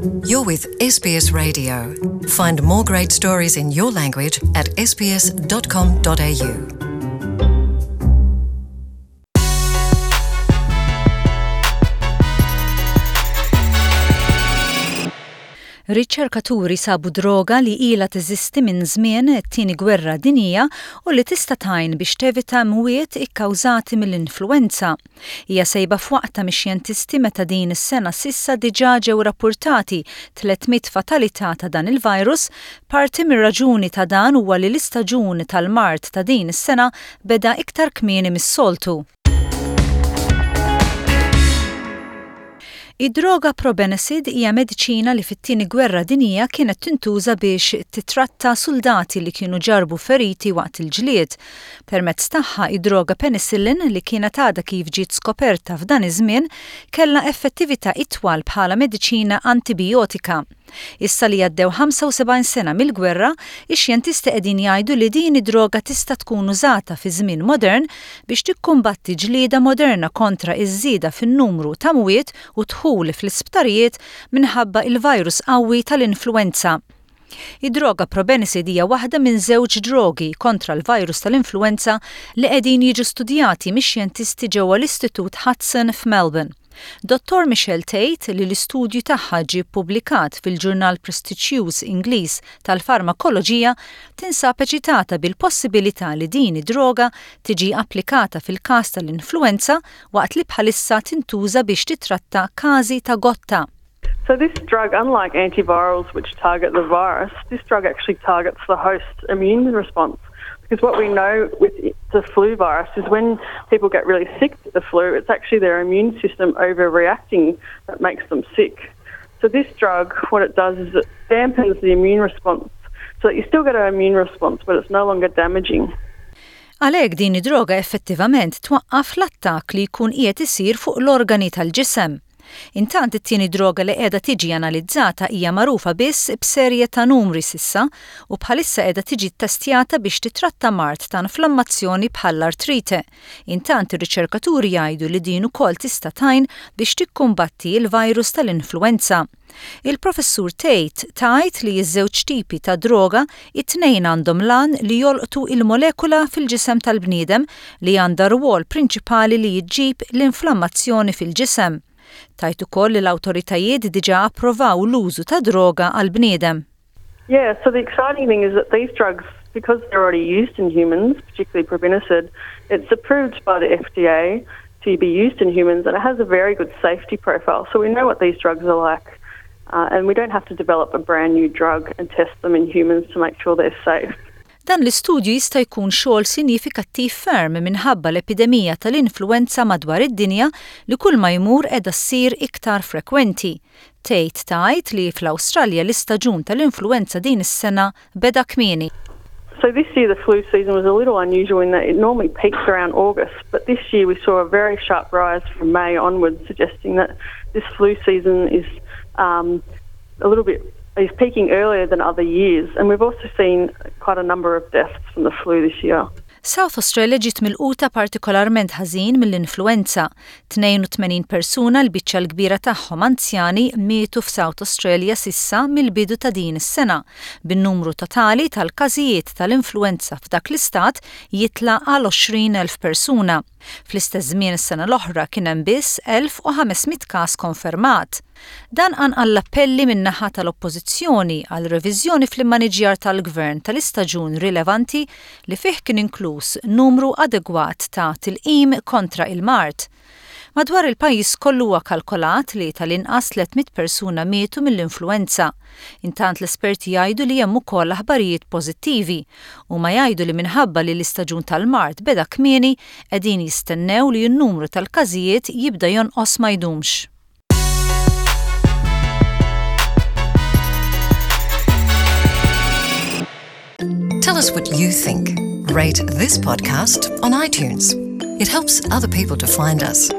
You're with SBS Radio. Find more great stories in your language at sbs.com.au. Riċerkaturi sabu droga li ilha teżisti minn żmien it-Tieni Gwerra Dinjija u li tista' tgħin biex tevita mwiet ikkawżati mill-influwenza. Hija sejba f'waqtha mix-xjentisti meta din is-sena s'issa diġà ġew rappurtati 300 fatalità ta' dan il-virus, parti mir-raġuni ta' dan huwa li l-istaġun tal-mard ta' din is-sena beda iktar kmieni mis-soltu. Id-droga probenecid hija mediċina li fit-Tieni Gwerra Dinjija kienet tintuża biex tittratta suldati li kienu ġarrbu feriti waqt il-ġlied. Permezz tagħha, id-droga penicillin, li kienet għadha kif ġiet skoperta f'dan iż-żmien, kellha effettività itwal bħala mediċina antibijotika. Issa li għaddew 75 sena mill-gwerra, ix-xjentisti qegħdin jgħidu li din id-droga tista' tkun użata fi żmien modern biex tikkumbatti ġlieda moderna kontra ż-żieda fin-numru ta' mwiet u dħul fl-isptarijiet minħabba il-virus qawwi tal-influwenza. Id-droga probenecid hija waħda minn żewġ drogi kontra l-virus tal-influwenza li qegħdin jiġu studjati mix-xjentisti ġewwa l-Istitut Hudson f'Melbourne. Dottor Michelle tgħid li l-istudju tagħha ġie ppubblikat fil-ġurnal prestiġjuż Ingliż tal-farmakoloġija tinsab eċitata bil-possibilità li din id-droga tiġi applikata fil-każ tal-influwenza waqt li bħalissa tintuża biex titratta każi ta' gotta. So this drug, unlike antivirals which target the virus, this drug actually targets the host immune response. Because what we know with the flu virus is when people get really sick with the flu, it's actually their immune system overreacting that makes them sick. So this drug, what it does is it dampens the immune response so that you still get an immune response, but it's no longer damaging. Għalhekk din id-droga effettivament twaqqaf l-attakk li jkun qiegħed isir fuq l-organi tal-ġisem. Intant it-tieni droga li qiegħda tiġi analizzata hija magħrufa biss b'serje ta' numri s'issa u bħalissa qiegħda tiġi ttestjata biex titratta mard ta' inflammazzjoni bħall-artrite. Intant ir-riċerkaturi jgħidu li din ukoll tista' tgħin biex tikkumbatti l-virus tal-influwenza. Il-Professur Tate tgħid li ż-żewġ tipi ta' droga it-tnejn għandhom l-għan li jolqtu il-molekula fil-ġisem tal-bniedem li għandha rwol prinċipali li ġġib l-inflammazzjoni fil-ġisem. Tgħid ukoll li l-awtoritajiet diġà approvaw l-użu ta' droga għall-bniedem. Yeah, so the exciting thing is that these drugs, because they're already used in humans, particularly probenecid, it's approved by the FDA to be used in humans and it has a very good safety profile. So we know what these drugs are like. Uh, and we don't have to develop a brand new drug and test them in humans to make sure they're safe. Dan l-istudju jista' jkun xogħol sinifikattiv ferm minħabba l-epidemija tal-influwenza madwar id-dinja li kull ma jmur qiegħda ssir iktar frekwenti. Tate tgħid li fl-Awstralja l-istaġun tal-influwenza din is-sena beda kmieni. So this year the flu season was a little unusual in that it normally peaks around August, but this year we saw a very sharp rise from May onwards, suggesting that this flu season is um, a little bit is peaking earlier than other years, and we've also seen quite a number of deaths from the flu this year. South Australia ġiet milquta partikolarment ħażin mill-influwenza. 82 persuna l-biċċa l-kbira tagħhom anzjani mietu f'South Australia s'issa mill-bidu ta' din is-sena, bin-numru totali tal-każijiet tal-influwenza f'dak l-istat jitla' għal 20,000 persuna. Fl-istess żmien is-sena l-oħra kien hemm biss 1,500 każ konfermat. Dan qanqal l-appelli min-naħa tal-Oppożizzjoni għal reviżjoni fl-immaniġjar tal-Gvern tal-istaġun rilevanti li fih kien inkluż numru adegwat ta' tilqim kontra il-mard. Madwar il-pajjiż kollu huwa kalkolat li tal-inqas 300 persuna mietu mill-influwenza. Intant l-esperti jgħidu li hemm ukoll aħbarijiet pożittivi. Huma jgħidu li minħabba li l-istaġun tal-mard beda kmieni, qegħdin jistennew li n-numru tal-każijiet jibda jonqos ma jdumx. Tell us what you think. Rate this podcast on iTunes. It helps other people to find us.